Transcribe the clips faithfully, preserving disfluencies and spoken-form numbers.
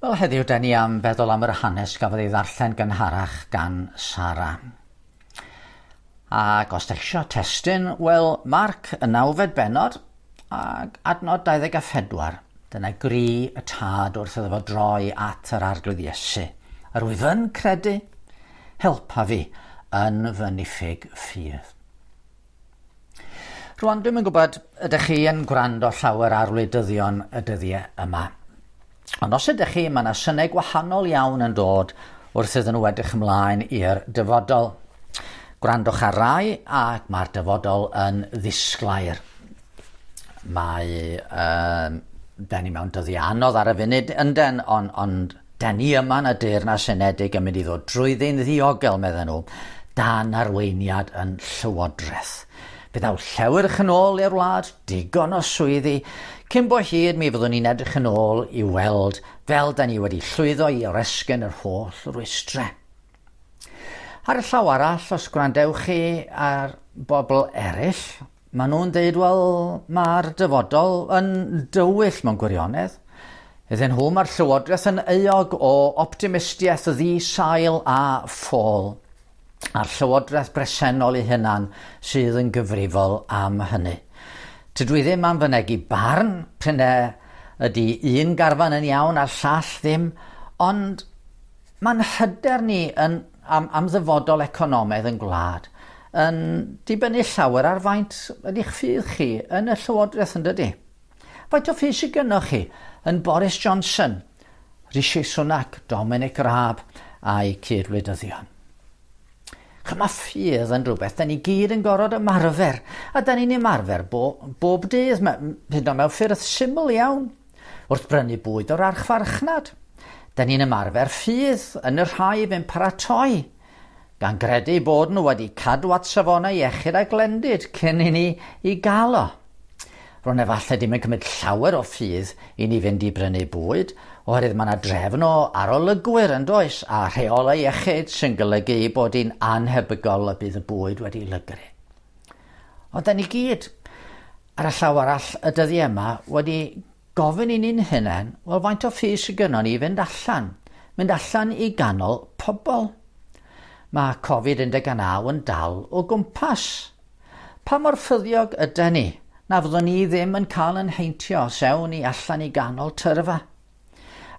Wel, heddiw da ni am feddwl am yr hanes gafodd ei ddarllen gynharach gan Sara. Ac os da chi isio testun, wel, Marc y nawfed bennod ac adnod dau ddeg a phedwar. Dyna gri y tad wrth iddo fo droi at yr Arglwydd Iesu. Yr wyf yn credu, helpa fi yn fy niffyg ffydd. Rwan, dwi'm yn gwybod ydych chi yn gwrando llawer ar wleidyddion y dyddiau yma. Ond os ydych chi, mae yna synau gwahanol iawn yn dod wrth iddyn nhw edrych ymlaen i'r dyfodol. Gwrandwch ar rai ac mae'r dyfodol yn ddisglair. Mae, um, da ni mewn dyddiau anodd ar y funud ynden, ond, ond da ni yma yn y Deyrnas Unedig yn mynd i ddod drwyddi'n ddiogel, medden nhw, dan arweiniad yn llywodraeth. Fe ddaw llewyrch yn ôl i'r wlad, digon o swyddi. Cyn bo hir mi fyddwn ni'n edrych yn ôl i weld fel da ni wedi llwyddo i oresgyn yr holl rwystrau. Ar y llaw arall, os gwrandewch chi ar bobl eraill, maen nhw'n deud, wel, mae'r dyfodol yn dywyll mewn gwirionedd. Iddyn nhw, mae'r llywodraeth yn euog o optimistiaeth ddi-sail a ffôl, a'r llywodraeth bresennol ei hunan sydd yn gyfrifol am hynny. Tydw i ddim am fynegi barn, p'un ydy un garfan yn iawn a'r llall ddim, ond mae'n hyder ni yn, am, am ddyfodol economaidd yn gwlad yn dibynnu llawer ar faint ydy'ch ffydd chi yn y llywodraeth, yn dydy? Faint o ffydd sydd gynnoch chi yn Boris Johnson, Rishi Sunak, Dominic Raab a'i cyd-wleidyddion? Mae ffydd yn rhywbeth da ni gyd yn gorfod ymarfer, a da ni'n ymarfer bo, bob dydd, hyd yn oed mewn ffyrdd syml iawn, wrth brynu bwyd o'r archfarchnad. Da ni'n ymarfer ffydd yn y rhai fe'n paratoi, gan gredu bod nhw wedi cadw at safonau iechyd a glendid cyn i ni i gael o. Rwy'n efallai ddim yn cymryd llawer o ffydd i ni fynd i brynu bwyd, oherwydd mae yna drefn o arolygwyr yn does, a rheolau iechyd sy'n golygu bod hi'n anhebygol y bydd y bwyd wedi lygru. Ond da ni gyd, ar y llaw arall y dyddiau yma, wedi gofyn i ni'n hunain, wel, faint o ffydd sydd gynnon ni i fynd allan, mynd allan i ganol pobl. Mae Covid un deg naw yn dal o gwmpas. Pa mor ffyddiog ydy ni na fyddwn ni ddim yn cael yn heintio os ewn ni allan i ganol tyrfa?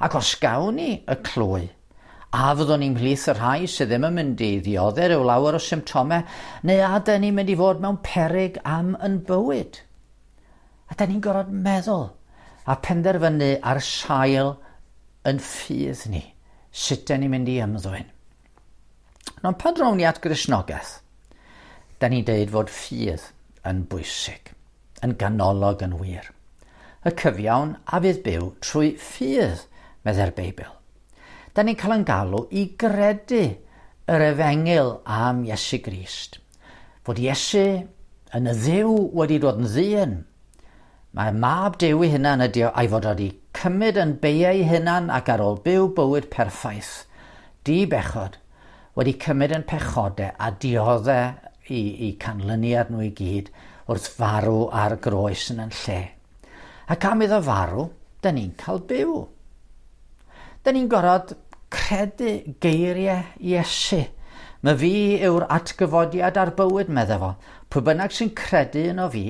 Ac os gawn ni y clwy, a fyddwn ni'n mhlith y rhai sydd ddim yn mynd i ddioddef rhyw lawer o symptomau, neu a dyn ni'n mynd i fod mewn peryg am yn bywyd? A dyn ni'n gorfod meddwl a penderfynu ar sail yn ffydd ni, sut dyn ni'n mynd i ymddwyn. Ond pan drown ni at Gristnogaeth, da ni'n deud fod ffydd yn bwysig, yn ganolog yn wir. Y cyfiawn a fydd byw trwy ffydd, meddai'r Beibl. Da ni'n cael yn galw i gredu yr efengyl am Iesu Grist. Fod Iesu yn y Dduw wedi dod yn ddyn. Mae mab Duw ei hunan ydi o, a'i fod wedi cymryd yn beiau ei hunan ac ar ôl byw bywyd perffaith, di bechod, wedi cymryd yn pechodau a dioddef i, i canlyniad nhw i gyd wrth farw ar groes yn yn lle. Ac am iddo farw, da ni'n cael byw. Da ni'n gorfod credu geiriau Iesu. Mae fi yw'r atgyfodiad a'r bywyd, medde fo. Pwy bynnag sy'n credu yno fi,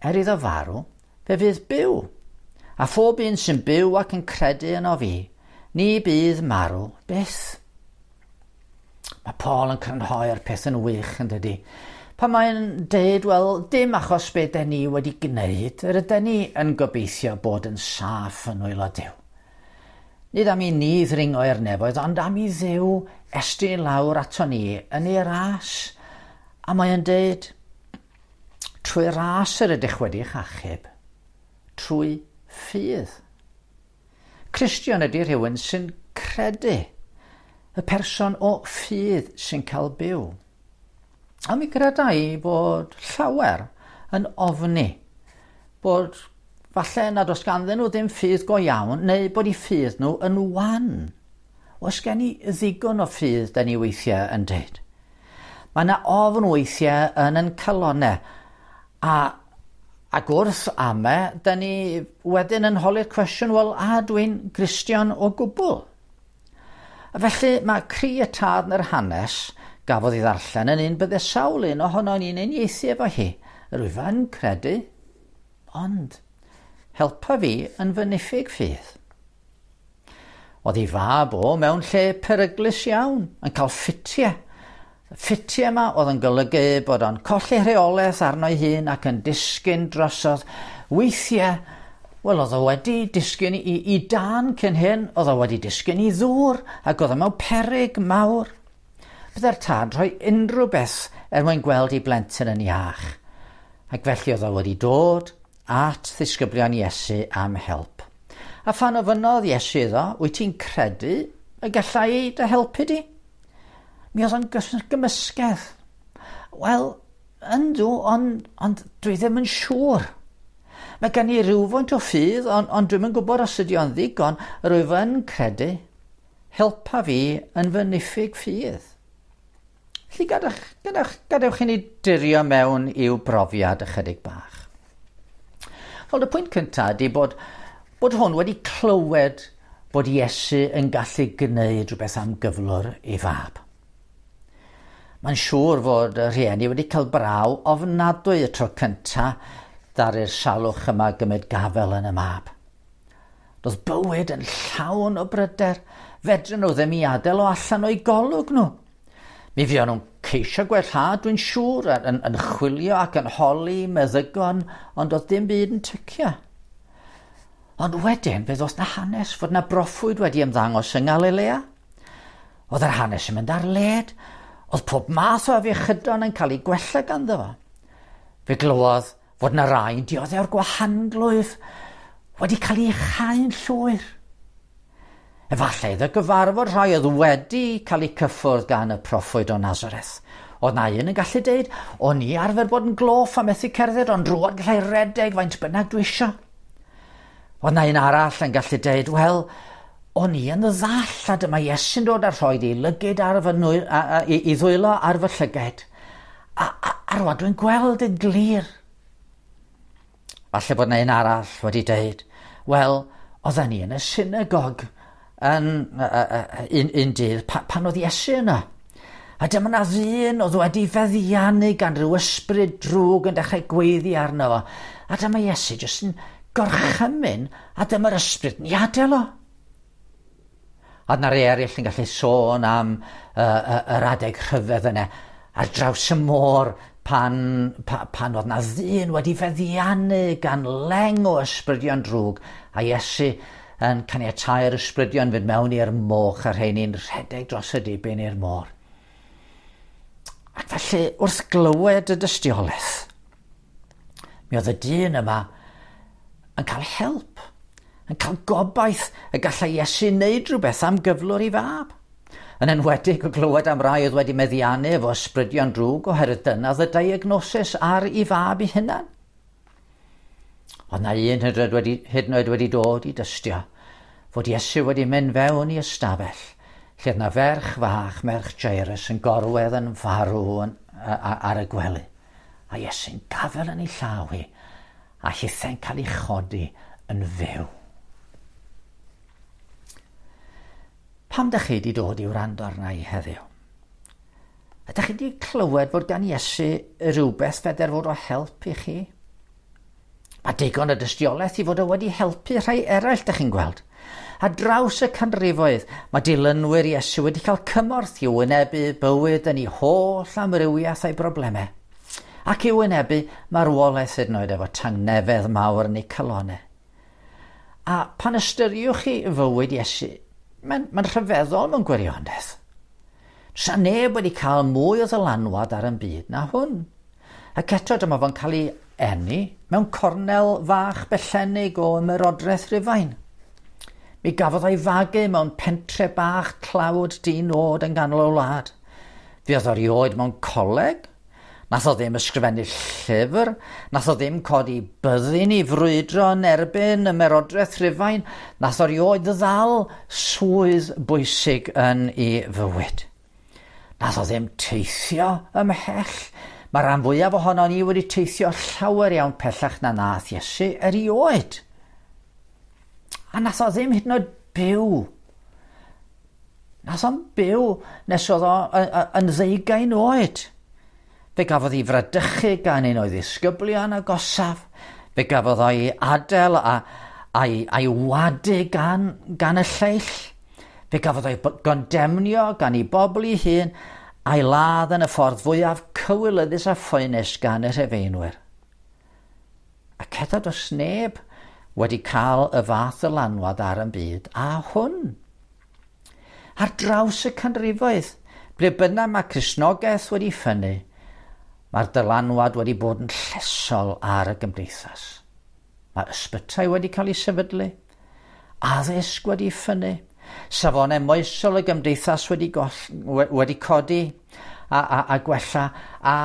er iddo farw, fe fydd byw. A phob un sy'n byw ac yn credu yno fi, ni bydd marw byth. Mae Paul yn crynhoi'r peth yn wych, yn dydy. Pan mae'n deud, wel, dim achos be den ni wedi gwneud, yr ydyn ni yn gobeithio bod yn saff yn nwylo Duw. Nid am i ni ddringo i'r nefoedd, ond am i Dduw estyn lawr ato ni yn ei ras. A mae'n deud, trwy ras yr ydych wedi'ch achub, trwy ffydd. Cristion ydy rhywun sy'n credu, y person o ffydd sy'n cael byw. A mi greda i bod llawer yn ofni bod falle nad oes ganddyn nhw ddim ffydd go iawn, neu bod eu ffydd nhw yn wan. Oes gen i ddigon o ffydd, da ni weithiau yn deud. Mae yna ofn weithiau yn yn calonau, a, Ac wrth ame, da ni wedyn yn holi'r cwestiwn, wel, a dwi'n Gristion o gwbl? A felly mae cri y tad yn yr hanes gafodd ei ddarllen yn un bydde sawl un ohono ni'n uniaethu efo hi. Rwyf yn credu, ond helpa fi yn fy niffyg ffydd. Oedd ei fab o mewn lle peryglus iawn, yn cael ffitiau. Ffitiau yma oedd yn golygu bod o'n colli rheolaeth arno'i hun ac yn disgyn drosodd. Weithiau, wel, oedd o wedi disgyn i, i dan cyn hyn, oedd o wedi disgyn i ddŵr ac oedd o mewn peryg mawr. Bydde'r tad rhoi unrhyw beth er mwyn gweld ei blentyn yn iach. Ac felly oedd o wedi dod at ddisgyblion Iesu am help. A phan ofynnodd Iesu iddo, wyt ti'n credu y gallai i dy helpu di? Mi oedd o'n gymysgedd. Wel, yndw, ond, ond dwi ddim yn siŵr. Mae gen i rywfaint o ffydd, ond, ond dwi'm yn gwybod os ydy o'n ddigon. Rwyf yn credu, helpa fi yn fy niffyg ffydd. Felly gadewch, gadewch, gadewch i ni dirio mewn i'w brofiad ychydig bach. Wel, y pwynt cyntaf ydy bod, bod hwn wedi clywed bod Iesu yn gallu gwneud rhywbeth am gyflwr ei fab. Mae'n siŵr fod y rhieni wedi cael braw ofnadwy y tro cyntaf ddaru'r salwch yma gymryd gafel yn y mab. Roedd bywyd yn llawn o bryder, fedryn nhw ddim i adael o allan o'i golwg nhw. Mi fuon nhw'n ceisio gwellhad, dwi'n siŵr, yn, yn chwilio ac yn holi meddygon, ond oedd dim byd yn tycio. Ond wedyn, fe ddoth na hanes fod na broffwyd wedi ymddangos yng Nghalilea. Oedd yr hanes yn mynd ar led, oedd pob math o afiechydon yn cael ei gwella ganddo fo. Fe glywodd fod na rai yn dioddef o'r gwahanglwyf wedi cael ei chau'n llwyr. Efallai iddo gyfarfod rhai oedd wedi cael eu cyffwrdd gan y proffwyd o Nazareth. Oedd na un yn gallu deud, o'n i arfer bod yn gloff a methu cerdded, ond rŵan gallai redeg faint bynnag dwi isio. Oedd na un arall yn gallu deud, wel, o'n i yn ddall a dyma Iesu'n dod a rhoi ei lygid ar fy nwy, a, a, i, i ddwylo ar fy llyged. A, a, a rŵan dwi'n gweld yn glir. Falle bod na un arall wedi deud, wel, oedden ni yn y synagog yn uh, uh, un, un dydd pa, pan oedd Iesu yna. A dyma na ddyn oedd wedi feddiannu gan ryw ysbryd drwg yn dechrau gweiddi arno fo. A dyma Iesu jyst yn gorchymyn a dyma'r ysbryd yn ei adael o. A dyna rei eraill yn gallu sôn am uh, uh, yr adeg rhyfedd yna ar draws y môr pan, pa, pan oedd na ddyn wedi feddiannu gan leng o ysbrydion drwg a Iesu yn caniatáu'r ysbrydion fynd mewn i'r moch a rheini'n rhedeg dros y dibyn i'r môr. Ac felly, wrth glywed y dystiolaeth, mi oedd y dyn yma yn cael help, yn cael gobaith y gallai Iesu wneud rhywbeth am gyflwr ei fab. Yn enwedig o glywed am rai oedd wedi meddiannu efo ysbrydion drwg oherwydd dyna oedd y diagnosis ar ei fab ei hunan. Oedd na un hyd yn oed wedi, hyd yn oed wedi dod i dystio fod Iesu wedi mynd fewn i ystafell lle oedd na ferch fach, merch Jairus, yn gorwedd yn farw yn, a, a, ar y gwely. A Iesu'n gafel yn ei llaw hi a hithe'n cael ei chodi yn fyw. Pam dych chi wedi dod i wrando arna i heddiw? Ydych chi wedi clywed fod gan Iesu rhywbeth feder fod o help i chi? Mae digon o dystiolaeth i fod o wedi helpu rhai eraill, dych chi'n gweld. A draws y canrifoedd, mae dilynwyr Iesu wedi cael cymorth i wynebu bywyd yn ei holl amrywiaeth a'i broblemau. Ac i wynebu marwolaeth hyd yn oed efo tangnefedd mawr yn eu calonau. A pan ystyriwch chi fywyd Iesu, mae'n mae rhyfeddol mewn gwirionedd. Sa neb wedi cael mwy o ddylanwad ar yn byd na hwn. Ac eto dyma fo'n cael ei eni mewn cornel fach bellennig o ymerodraeth Rufain. Mi gafodd o'i fagu mewn pentre bach tlawd di-nod yn ganol y wlad. Fuodd o erioed mewn coleg, nath o ddim ysgrifennu llyfr, nath o ddim codi byddin i frwydro yn erbyn ymerodraeth Rufain, nath o erioed ddal swydd bwysig yn ei fywyd. Nath o ddim teithio ymhell, Mae rhan fwyaf ohono ni wedi teithio llawer iawn pellach na nath Iesu erioed. A nath o ddim hyd yn oed byw. Nath o'n byw nes oedd o yn ddeugain oed. Fe gafodd ei fradychu gan un o'i ddisgyblion agosaf. Fe gafodd o'i adael a, a'i, a'i wadu gan, gan y lleill. Fe gafodd o'i gondemnio gan ei bobl ei hun a'i ladd yn y ffordd fwyaf cywilyddus a phoenus gan y Rhufeinwyr. Ac eto does neb wedi cael y fath ddylanwad ar y byd a hwn. Ar draws y canrifoedd, ble bynnag mae Cristnogaeth wedi ffynnu, mae'r dylanwad wedi bod yn llesol ar y gymdeithas. Mae ysbytai wedi cael ei sefydlu, addysg wedi ffynnu, safonau moesol y gymdeithas wedi, goll, wedi codi a, a, a gwella, a,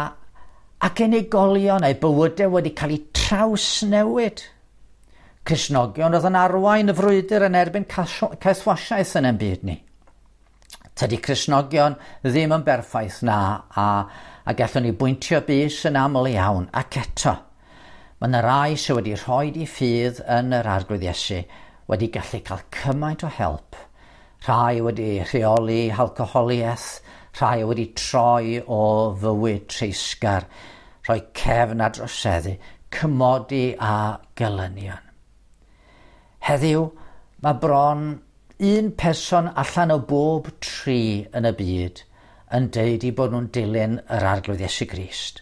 ac unigolion a'u bywydau wedi cael eu trawsnewid. Cristnogion oedd yn arwain y frwydr yn erbyn caethwasiaeth yn ein byd ni. Tydi Cristnogion ddim yn berffaith na, a, a gallwn ni bwyntio bys yn aml iawn, ac eto, mae yna rai sydd wedi rhoi eu ffydd yn yr Arglwydd Iesu wedi gallu cael cymaint o help. Rhai wedi rheoli alcoholiaeth, rhai wedi troi o fywyd treisgar, rhoi cefn a droseddu, cymodi a gelynion. Heddiw, mae bron un person allan o bob tri yn y byd yn deud i bod nhw'n dilyn yr Arglwydd Iesu Grist.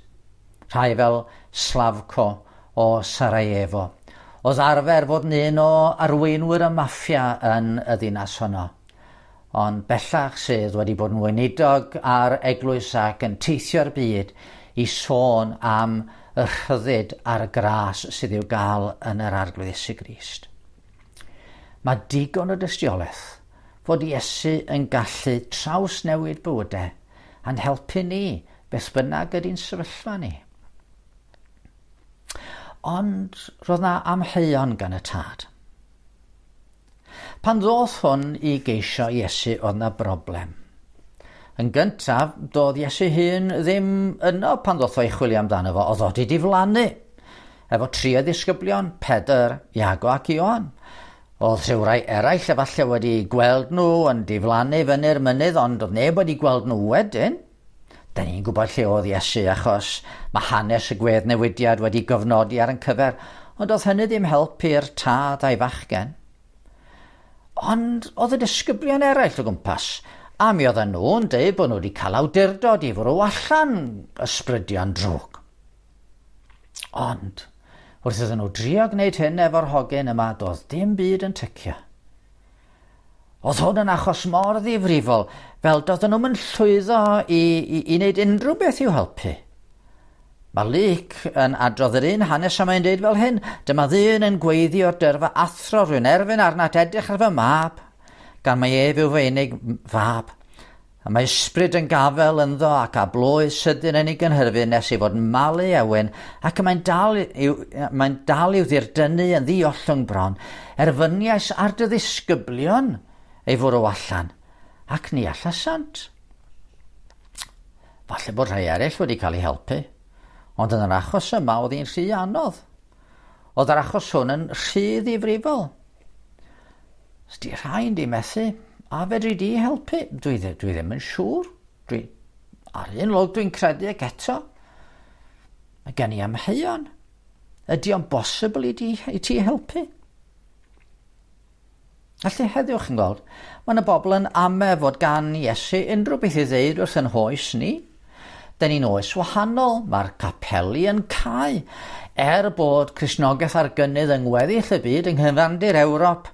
Rhai fel Slavko o Sarajevo, oedd arfer fod yn un o arweinwyr y maffia yn y ddinas honno. Ond bellach sydd wedi bod yn weinidog ar eglwys ac yn teithio'r byd i sôn am y rhyddid a'r gras sydd i'w gael yn yr Arglwydd Iesu Grist. Mae digon o dystiolaeth fod Iesu yn gallu trawsnewid bywydau a'n helpu ni beth bynnag ydy'n sefyllfa ni. Ond roedd na amheuon gan y tad. Pan ddoth hwn i geisio Iesu, oedd na broblem. Yn gyntaf, doedd Iesu hun ddim yno pan ddoth o i chwilio amdano fo, oedd o wedi diflannu. Efo tri o ddisgyblion, Pedr, Iago ac Ioan. Oedd rhywrai eraill efallai wedi gweld nhw yn diflannu fyny'r mynydd, ond oedd neb wedi gweld nhw wedyn. Da ni'n gwybod lle oedd Iesu achos mae hanes y gweddnewidiad wedi gofnodi ar yn cyfer, ond oedd hynny ddim helpu'r tad a'i fachgen. Ond oedd y disgyblion eraill o gwmpas, a mi oedden nhw'n deud bod nhw wedi cael awdurdod i fwrw allan ysbrydion drwg. Ond, wrth iddyn nhw drio gwneud hyn efo'r hogyn yma, doedd dim byd yn tycio. Oedd hwn yn achos mor ddifrifol, fel doedden nhw'n llwyddo i, i, i wneud unrhyw beth i'w helpu. Mae Luc yn adrodd yr un hanes a mae'n dweud fel hyn, dyma ddyn yn gweiddi o'r dyrfa, athro, rwy'n erfyn arnat edrych ar fy mab, gan mai ef yw fy unig fab. A mae ysbryd yn gafel ynddo ac a blwydd sydyn yn ei gynhyrfu nes ei fod yn malu ewyn, ac mae'n dal i'w, mae'n dal i'w ddirdynnu yn ddi-ollwng bron, erfyniais ar dy ddisgyblion ei fwrw allan, ac ni allasant. Falle bod rhai eraill wedi cael eu helpu, ond yn yr achos yma oedd hi'n rhy anodd. Oedd yr achos hwn yn rhy ddifrifol. Os di rhain di methu, a fedri di helpu? Dwi, dwi ddim yn siŵr. Dwi, ar un lwg dwi'n credu ac eto. Mae gen i amheuon. Ydy o'n bosibl i ti, i ti helpu? Felly heddiw chi'n gweld, mae yna bobl yn ame fod gan Iesu unrhyw beth i ddeud wrth yn hoes ni. Da ni'n oes wahanol, mae'r capeli yn cau. Er bod Cristnogaeth ar gynnydd yng ngweddill y byd yng nghyfandir Ewrop,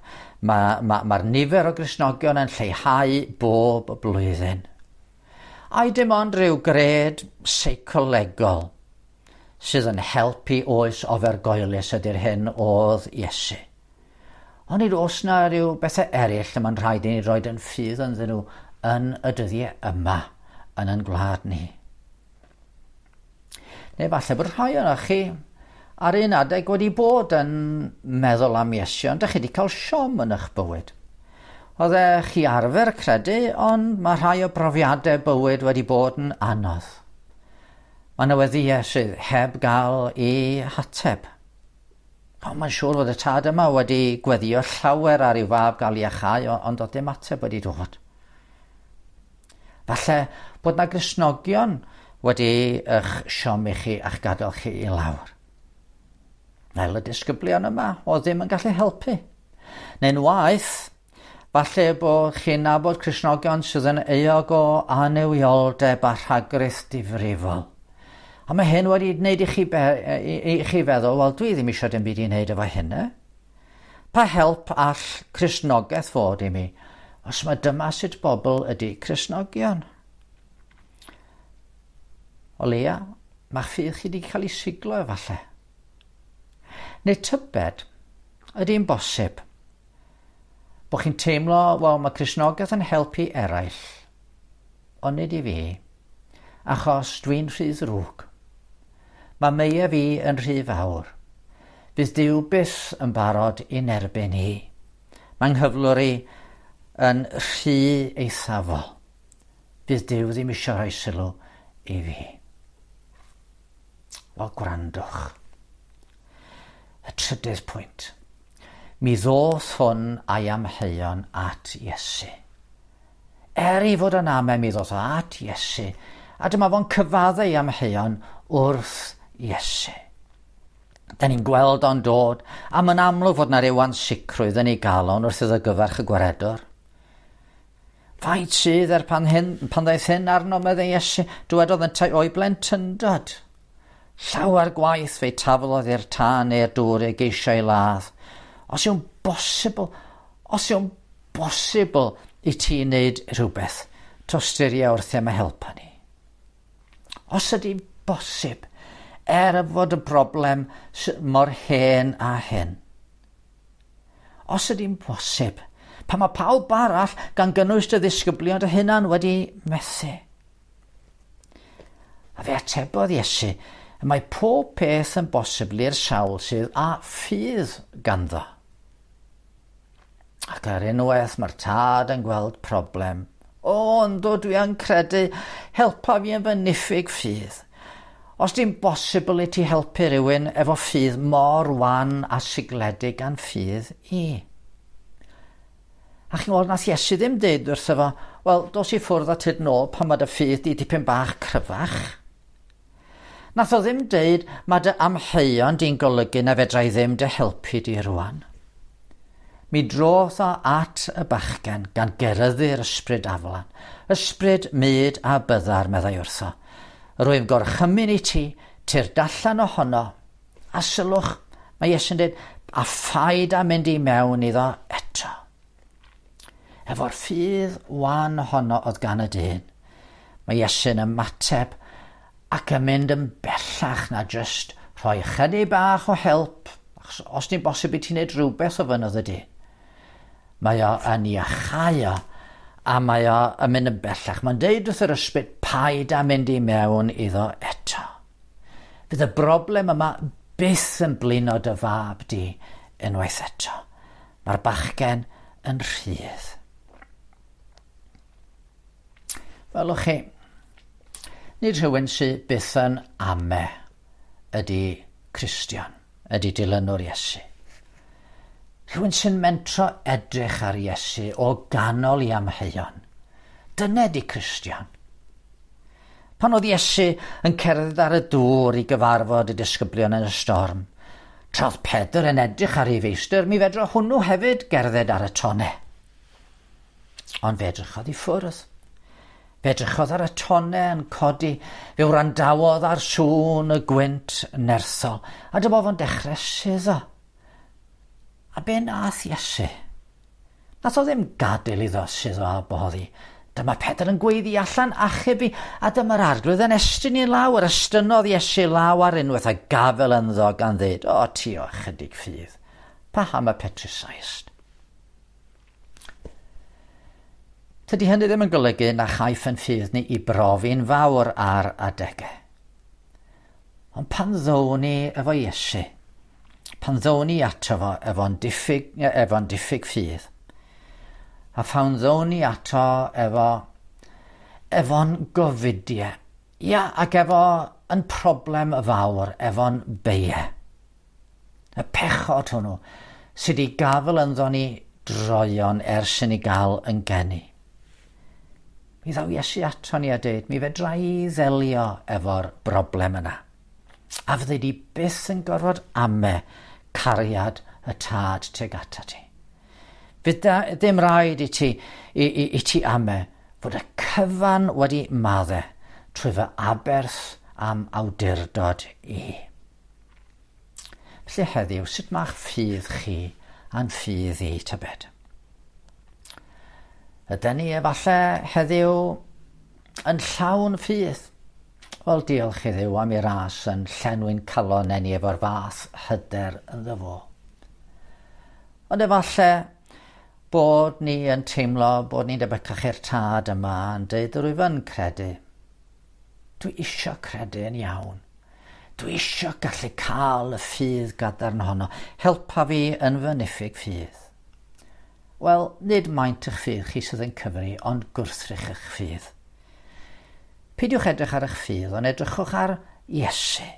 mae'r ma, ma, ma nifer o Gristnogion yn lleihau bob blwyddyn. Ai dim ond rhyw gred seicolegol sydd yn helpu oes ofergoelus ydy'r hyn oedd Iesu. Ond nid oes na rhyw bethau eraill y mae'n rhaid i ni roed yn ffydd ynddyn nhw yn y dyddiau yma yn ein gwlad ni. Neu falle bod rhai ohonoch chi ar un adeg wedi bod yn meddwl am Iesu, ond dych chi wedi cael siom yn eich bywyd. Oeddech chi arfer credu, ond mae rhai o brofiadau bywyd wedi bod yn anodd. Mae yna weddïau sydd heb gael ei hateb. O, mae'n siŵr fod y tad yma wedi gweddio llawer ar i'w fab gael ei iachau, ond oedd dim ateb wedi dod. Falle bod na Gristnogion wedi eich siomi chi a'ch gadael chi i lawr. Fel y disgyblion yma, oedd ddim yn gallu helpu. Neu'n waeth, falle bod chi'n nabod Cristnogion sydd yn euog o annuwioldeb a rhagrith difrifol. A mae hyn wedi gwneud i chi, be, i, i chi feddwl, wel, dwi ddim eisiau dim byd i wneud efo hynny. Pa help all Cristnogaeth fod i mi, os mae dyma sut bobl ydy Cristnogion? O leia, mae'ch ffydd chi wedi cael ei siglo efallai. Neu tybed, ydy'n bosib bod chi'n teimlo, wel, mae Cristnogaeth yn helpu eraill, ond nid i fi, achos dwi'n rhy ddrwg. Mae meia fi yn rhy fawr. Fydd Duw byth yn barod i'n erbyn i. Mae nghyflwr i yn rhy eithafol. Fydd Duw ddim eisiau rhoi sylw i fi. Wel, gwrandwch. Y trydydd pwynt. Mi ddoth hwn a'i amheuon at Iesu. Er i fod yn ame, mi ddoth o at Iesu, a dyma fo'n cyfadde ei amheuon wrth Iesu. Da ni'n gweld o'n dod, a mae'n amlwg fod na ryw ansicrwydd yn ei galon wrth iddo gyfarch y gwaredwr. Faint sydd er pan, hyn, pan ddaeth hyn arno, meddai Iesu, dywedodd yntau o'i blentyndod. Llawer gwaith fe'i taflodd i'r tân neu'r dŵr ei geisio ei ladd. Os yw'n bosibl, os yw'n bosibl i ti wneud rhywbeth, tosturia wrth am y helpa ni. Os ydy'n bosib, er y fod y broblem mor hen a hyn. Os ydy'n bosib, pan mae pawb arall gan gynnwys dy ddisgyblion dy hunan wedi methu. A fe atebodd Iesu, y mae pob peth yn bosibl i'r sawl sydd â ffydd ganddo. Ac ar unwaith mae'r tad yn gweld problem. O, ynddo, dwi yn credu, helpa fi yn fy niffyg ffydd. Os di'n bosibl i ti helpu rhywun efo ffydd mor wan a sigledig gan ffydd i. A chi'n gweld, nath Iesu ddim deud wrtho fo, wel, dos i ffwrdd a tyd nôl pan mae dy ffydd di dipyn bach cryfach. Nath o ddim deud, mae dy amheuon di'n golygu na fedra i ddim dy helpu di rwan. Mi drodd o at y bachgen gan geryddu'r ysbryd aflan. Ysbryd mud a byddar, meddai wrtho. Rwy'n gorchymyn i ti, tyrd allan ohono. A sylwch, mae Iesu'n dweud, a phaid â mynd i mewn iddo eto. Efo'r ffydd wan honno oedd gan y dyn, mae Iesu'n ymateb ac yn mynd yn bellach na jyst rhoi chydig bach o help, achos os di'n bosib i ti wneud rhywbeth o fynodd y dyn. Mae o yn iachau o, a mae o yn mynd yn bellach. Mae'n deud wrth yr ysbryd, paid â mynd i mewn iddo eto. Fydd y broblem yma byth yn blino dy fab di unwaith eto. Mae'r bachgen yn rhydd. Welwch chi, nid rhywun sydd byth yn ame ydy Cristion, ydy dilynwr Iesu. Rhywun sy'n mentro edrych ar Iesu o ganol i amheuon. Dyna di Cristion. Pan oedd Iesu yn cerdded ar y dŵr i gyfarfod y disgyblion yn y storm, tra oedd Pedr yn edrych ar ei feistr, mi fedra hwnnw hefyd gerdded ar y tonnau. Ond fe edrychodd i ffwrdd. Fe edrychodd ar y tonnau yn codi, fe wrandawodd ar sŵn y gwynt nerthol, a dyma fo'n dechrau suddo. A be nath Iesu? Nath o ddim gadael iddo suddo a boddi. Dyma Pedr yn gweiddi allan, achub i, a dyma'r arglwydd yn estyn i law, yr estynnodd Iesu law ar unwaith a gafel ynddo gan ddeud, o ti o ychydig ffydd, paham y petrusaist? Tydi hynny ddim yn golygu na chaiff yn ffydd ni i brofi'n fawr ar adegau. Ond pan ddown ni efo Iesu, pan ddown ni ato fo efo'n diffyg, efo'n diffyg ffydd, a phan ddown ni ato efo, efo'n gofidiau, ia, ac efo yn problem fawr efo'n beie. Y pechod hwnnw sydd wedi gafel ynddo ni droion ers i ni gael yn geni. Mi ddaw Iesu ato ni a deud, mi fedra i ddelio efo'r broblem yna. A fyddi di byth yn gorfod ame cariad y tad tuag ata ti. Fydd ddim rhaid i ti, i, i, i ti ame fod y cyfan wedi madde trwy fy aberth am awdurdod i. Felly heddiw, sut mae'ch ffydd chi a'n ffydd i tybed? Ydyn ni efallai heddiw yn llawn ffydd? Wel, diolch i Dduw am ei ras yn llenwi'n calon ni efo'r fath hyder ynddo fo. Ond efallai bod ni yn teimlo bod ni'n debycach i'r tad yma yn deud rwyf yn credu. Dwi isio credu yn iawn. Dwi isio gallu cael y ffydd gadarn honno. Helpa fi yn fy niffyg ffydd. Wel, nid maint eich ffydd chi sydd yn cyfri, ond gwrthrych eich ffydd. Peidiwch edrych ar eich ffydd, ond edrychwch ar Iesu.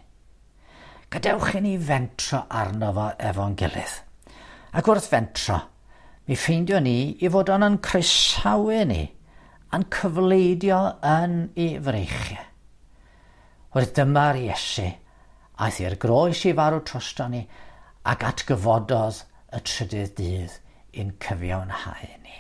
Gadewch i ni fentro arno fo efo'n gilydd. Ac wrth fentro, mi ffeindio ni i fod o'n yn croesawu ni a'n cyfleidio yn ei freichiau. Wrth dyma'r Iesu, aeth i'r groes i farw drosto ni ac atgyfododd y trydydd dydd i'n cyfiawnhau ni.